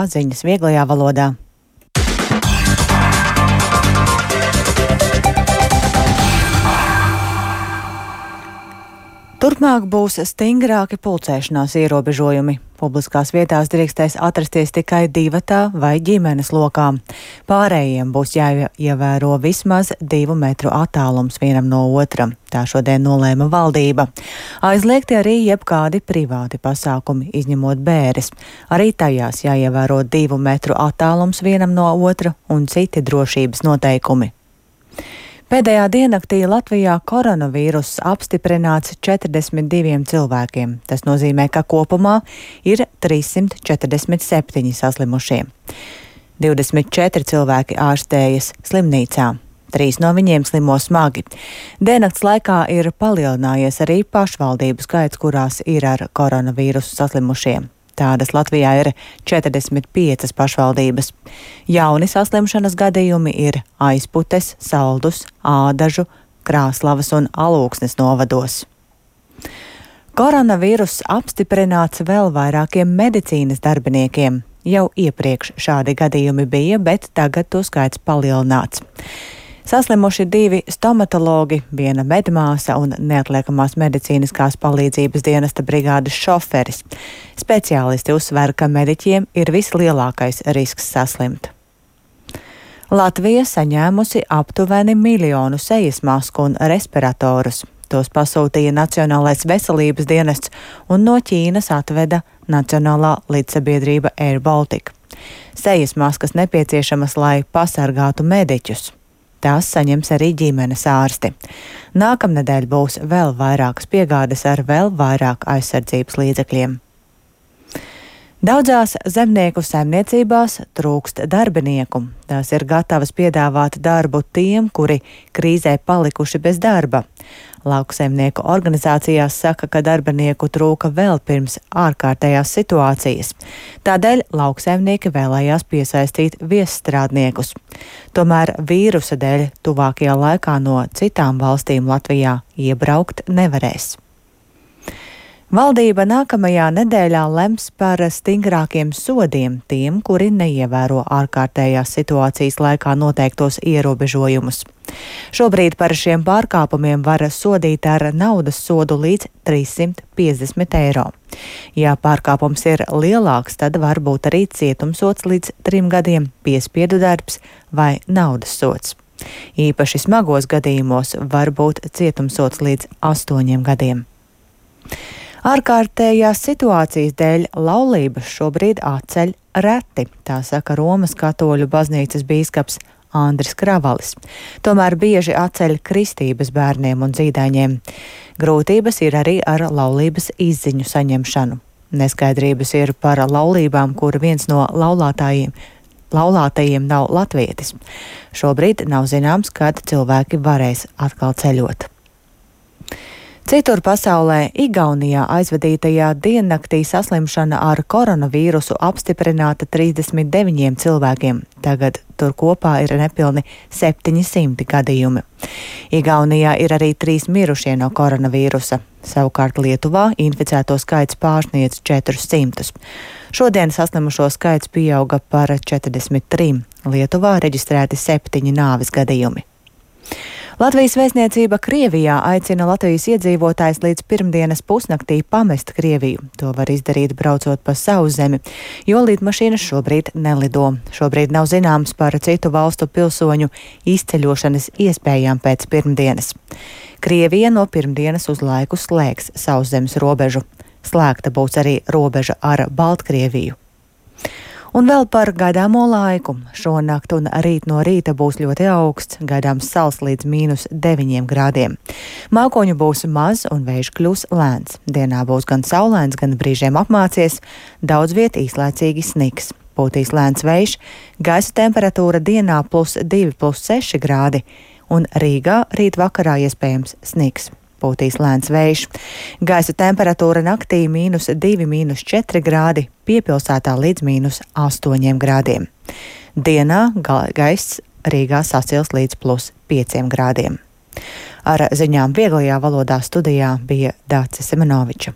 Ziņas vieglajā valodā. Turpmāk būs stingrāki pulcēšanās ierobežojumi. Publiskās vietās drīkstēs atrasties tikai divatā vai ģimenes lokā. Pārējiem būs jāievēro vismaz 2 metru attālums vienam no otra. Tā šodien nolēma valdība. Aizliegti arī jebkādi privāti pasākumi, izņemot bēres. Arī tajās jāievēro 2 metru attālums vienam no otra un citi drošības noteikumi. Pēdējā diennaktī Latvijā koronavīruss apstiprināts 42 cilvēkiem. Tas nozīmē, ka kopumā ir 347 saslimušie. 24 cilvēki ārstējas slimnīcā. 3 no viņiem slimo smagi. Diennakts laikā ir palielinājies arī pašvaldību skaits, kurās ir ar koronavīrusu saslimušie. Tādas Latvijā ir 45 pašvaldības. Jauni saslimšanas gadījumi ir Aizputes, Saldus, Ādažu, Krāslavas un Alūksnes novados. Koronavīruss apstiprināts vēl vairākiem medicīnas darbiniekiem. Jau iepriekš šādi gadījumi bija, bet tagad to skaits palielināts. Saslimuši 2 stomatologi, 1 medmāsa un neatliekamās medicīniskās palīdzības dienesta brigādes šoferis. Speciālisti uzsver, ka mediķiem ir vislielākais risks saslimt. Latvija saņēmusi aptuveni 1 miljonu sejas masku un respiratorus. Tos pasūtīja Nacionālais veselības dienests un no Ķīnas atveda Nacionālā līdzsabiedrība Air Baltica. Sejas maskas nepieciešamas, lai pasargātu mediķus. Tās saņems arī ģimenes ārsti. Nākamnedēļ būs vēl vairākas piegādes ar vēl vairāk aizsardzības līdzekļiem. Daudzās zemnieku saimniecībās trūkst darbinieku. Tās ir gatavas piedāvāt darbu tiem, kuri krīzē palikuši bez darba. Lauksaimnieku organizācijās saka, ka darbinieku trūka vēl pirms ārkārtējās situācijas. Tādēļ lauksaimnieki vēlējās piesaistīt viesstrādniekus. Tomēr vīrusa dēļ tuvākajā laikā no citām valstīm Latvijā iebraukt nevarēs. Valdība nākamajā nedēļā lems par stingrākiem sodiem tiem, kuri neievēro ārkārtējās situācijas laikā noteiktos ierobežojumus. Šobrīd par šiem pārkāpumiem var sodīt ar naudas sodu līdz 350 eiro. Ja pārkāpums ir lielāks, tad var būt arī cietumsods līdz 3 gadiem, piespiedu darbs vai naudas sods. Īpaši smagos gadījumos var būt cietumsods līdz 8 gadiem. Ārkārtējās situācijas dēļ laulības šobrīd atceļ reti, tā saka Romas katoļu baznīcas bīskaps Andris Kravalis. Tomēr bieži atceļ kristības bērniem un dzīdaiņiem. Grūtības ir arī ar laulības izziņu saņemšanu. Neskaidrības ir par laulībām, kur viens no laulātajiem nav latvietis. Šobrīd nav zināms, kad cilvēki varēs atkal ceļot. Citur pasaulē, Igaunijā aizvadītajā diennaktī saslimšana ar koronavīrusu apstiprināta 39 cilvēkiem. Tagad tur kopā ir nepilni 700 gadījumi. Igaunijā ir arī 3 mirušie no koronavīrusa. Savukārt Lietuvā inficēto skaits pārsniedz 400. Šodien saslimušo skaits pieauga par 43. Lietuvā reģistrēti 7 nāves gadījumi. Latvijas vēstniecība Krievijā aicina Latvijas iedzīvotājus līdz pirmdienas pusnaktī pamest Krieviju. To var izdarīt braucot pa sauszemi, jo lidmašīnas šobrīd nelido. Šobrīd nav zināms par citu valstu pilsoņu izceļošanas iespējām pēc pirmdienas. Krievija no pirmdienas uz laiku slēgs sauszemes robežu. Slēgta būs arī robeža ar Baltkrieviju. Un vēl par gaidāmo laiku. Šonakt un rīt no rīta būs ļoti augsts, gaidāms sals līdz -9 grādiem. Mākoņu būs maz un vējš kļūs lēns. Dienā būs gan saulains, gan brīžiem apmācies, daudz viet īslaicīgi sniks. Pūtīs lēns vējš, gaisa temperatūra dienā +2, +6 grādi, un Rīgā rīt vakarā iespējams sniks. Pūtīs lēns vējš. Gaisa temperatūra naktī -2, -4 grādi, piepilsētā līdz -8 grādiem. Dienā gaiss Rīgā sasils līdz +5 grādiem. Ar ziņām vieglajā valodā studijā bija Dāce Semenoviča.